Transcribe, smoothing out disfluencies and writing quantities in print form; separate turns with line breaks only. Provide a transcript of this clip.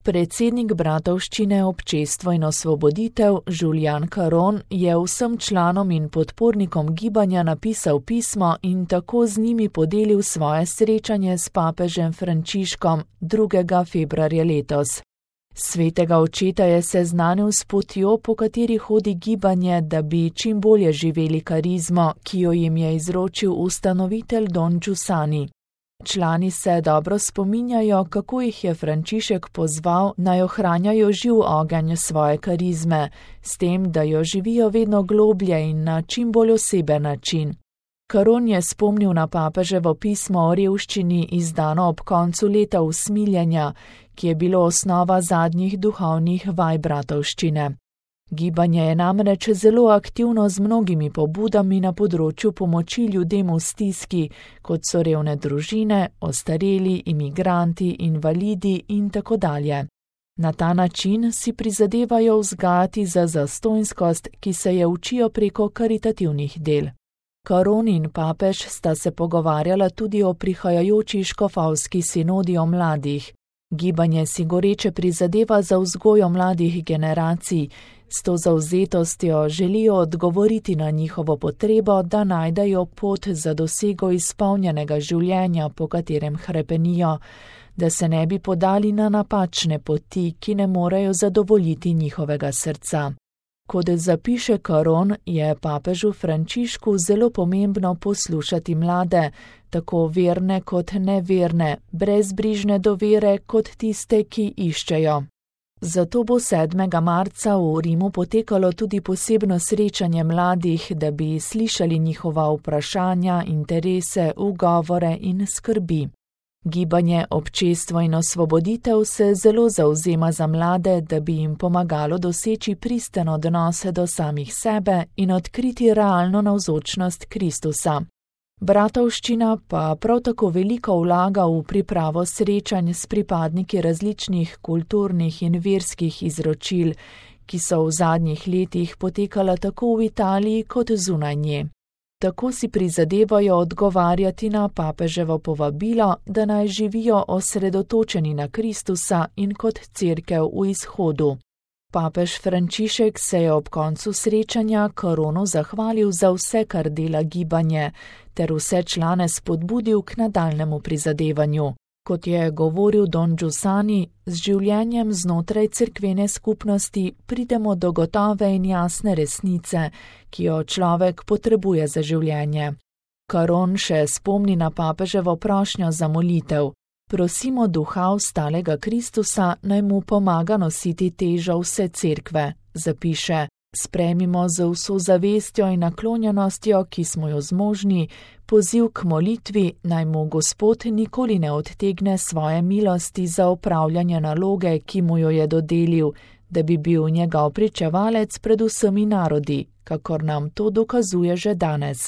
Predsednik Bratovščine Občestvo in osvoboditev Julian Caron je vsem članom in podpornikom gibanja napisal pismo in tako z njimi podelil svoje srečanje s papežem Frančiškom 2. februarja letos. Svetega očeta je seznanil s potjo, po kateri hodi gibanje, da bi čim bolje živeli karizmo, ki jo jim je izročil ustanovitelj Don Giussani. Člani se dobro spominjajo, kako jih je Frančišek pozval, naj ohranjajo živ ogenj svoje karizme, s tem, da jo živijo vedno globlje in na čim bolj oseben način. Caron je spomnil na papeževo pismo o revščini, izdano ob koncu leta usmiljenja, ki je bilo osnova zadnjih duhovnih vaj Bratovščine. Gibanje je namreč zelo aktivno z mnogimi pobudami na področju pomoči ljudem v stiski, kot so revne družine, ostareli, imigranti, invalidi in tako dalje. Na ta način si prizadevajo vzgajati za zastonjskost, ki se je učijo preko karitativnih del. Caron in papež sta se pogovarjala tudi o prihajajoči škofovski sinodi o mladih. Gibanje si goreče prizadeva za vzgojo mladih generacij, s to zavzetostjo želijo odgovoriti na njihovo potrebo, da najdejo pot za dosego izpolnjenega življenja, po katerem hrepenijo, da se ne bi podali na napačne poti, ki ne morejo zadovoljiti njihovega srca. Kot zapiše Caron, je papežu Frančišku zelo pomembno poslušati mlade, tako verne kot neverne, brezbrižne do vere kot tiste, ki iščejo. Zato bo 7. marca v Rimu potekalo tudi posebno srečanje mladih, da bi slišali njihova vprašanja, interese, ugovore in skrbi. Gibanje Občestvo in osvoboditev se zelo zavzema za mlade, da bi jim pomagalo doseči pristen odnos do samih sebe in odkriti realno navzočnost Kristusa. Bratovščina pa prav tako veliko vlaga v pripravo srečanj s pripadniki različnih kulturnih in verskih izročil, ki so v zadnjih letih potekala tako v Italiji kot zunaj nje. Tako si prizadevajo odgovarjati na papeževo povabilo, da naj živijo osredotočeni na Kristusa in kot cerkev v izhodu. Papež Frančišek se je ob koncu srečanja Caronu zahvalil za vse, kar dela gibanje, ter vse člane spodbudil k nadaljnemu prizadevanju. Kot je govoril Don Giussani, z življenjem znotraj cerkvene skupnosti pridemo do gotove in jasne resnice, ki jo človek potrebuje za življenje. Caron še spomni na papeževo prošnjo za molitev. Prosimo duha vstalega Kristusa, naj mu pomaga nositi težo vse cerkve, zapiše. Sprejmimo z vso zavestjo in naklonjenostjo, ki smo jo zmožni, poziv k molitvi, naj mu Gospod nikoli ne odtegne svoje milosti za opravljanje naloge, ki mu jo je dodelil, da bi bil njegov pričevalec pred vsemi narodi, kakor nam to dokazuje že danes.